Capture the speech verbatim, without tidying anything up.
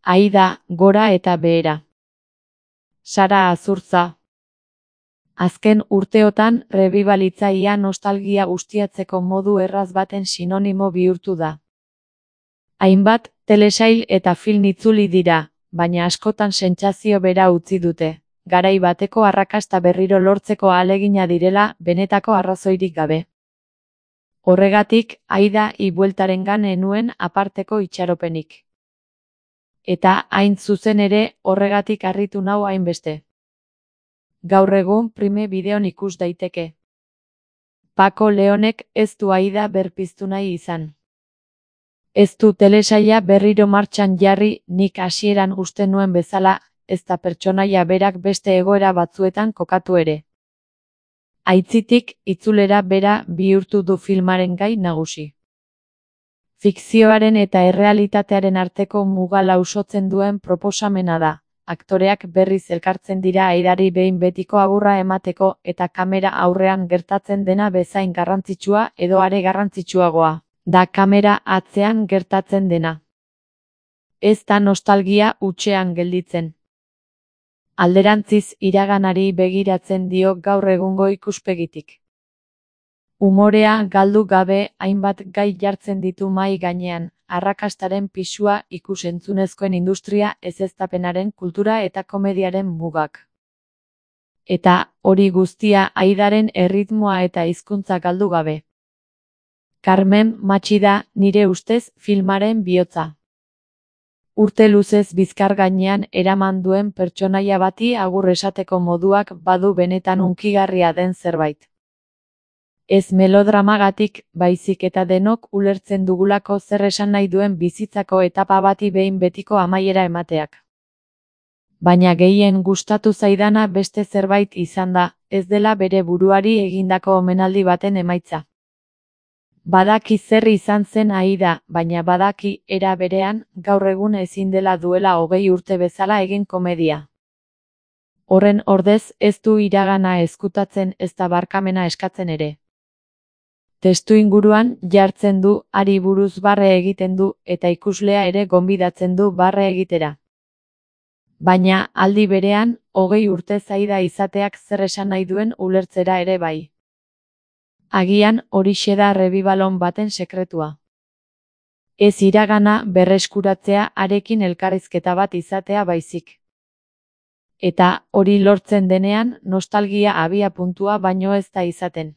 Aida, gora eta behera. Sara Azurtza. Azken urteotan rebibalitzaia nostalgia ustiatzeko modu erraz baten sinonimo bihurtu da. Hainbat telesail eta film itzuli dira, baina askotan sentsazio bera utzi dute, garai bateko arrakasta berriro lortzeko ahalegina direla benetako arrazoirik gabe. Horregatik, Aida ibueltarengan enuen aparteko itxaropenik. Eta hain zuzen ere, horregatik harritu nau hainbeste. Gaur egun Prime Bideon ikus daiteke. Paco Leonek ez du Aida berpiztu nahi izan. Ez du telesaila berriro martxan jarri, nik hasieran uste nuen bezala, ez da pertsonaia berak beste egoera batzuetan kokatu ere. Aitzitik, itzulera bera bihurtu du filmaren gai nagusi. Fikzioaren eta errealitatearen arteko muga lausotzen duen proposamena da. Aktoreak berriz elkartzen dira Aidari behin betiko agurra emateko eta kamera aurrean gertatzen dena bezain garrantzitsua edo are garrantzitsuagoa da kamera atzean gertatzen dena. Ez da nostalgia hutsean gelditzen. Alderantziz iraganari begiratzen dio gaur egungo ikuspegitik. Umorea galdu gabe hainbat gai jartzen ditu mahai gainean, arrakastaren pisua, ikus-entzunezkoen industria, ezeztapenaren kultura eta komediaren mugak. Eta hori guztia Aidaren erritmoa eta hizkuntza galdu gabe. Carmen Machi da, nire ustez, filmaren bihotza. Urte luzez bizkar gainean eraman duen pertsonaia bati agur esateko moduak badu benetan hunkigarria den zerbait. Ez melodramagatik, baizik eta denok ulertzen dugulako zer esan nahi duen bizitzako etapa bati behin betiko amaiera emateak. Baina gehien gustatu zaidana beste zerbait izan da, ez dela bere buruari egindako omenaldi baten emaitza. Badaki zer izan zen Aida, baina badaki era berean, gaur egun ezin dela duela hogei urte bezala egin komedia. Horren ordez ez du iragana ezkutatzen ez da barkamena eskatzen ere. Testu inguruan jartzen du, hari buruz barre egiten du, eta ikuslea ere gonbidatzen du barre egitera. Baina, aldi berean, hogei urte Aida izateak zer esan nahi duen ulertzera ere bai. Agian horixe da rebibalon baten sekretua. Ez iragana berreskuratzea harekin elkarrizketa bat izatea baizik. Eta hori lortzen denean, nostalgia abia puntua baino ez da izaten.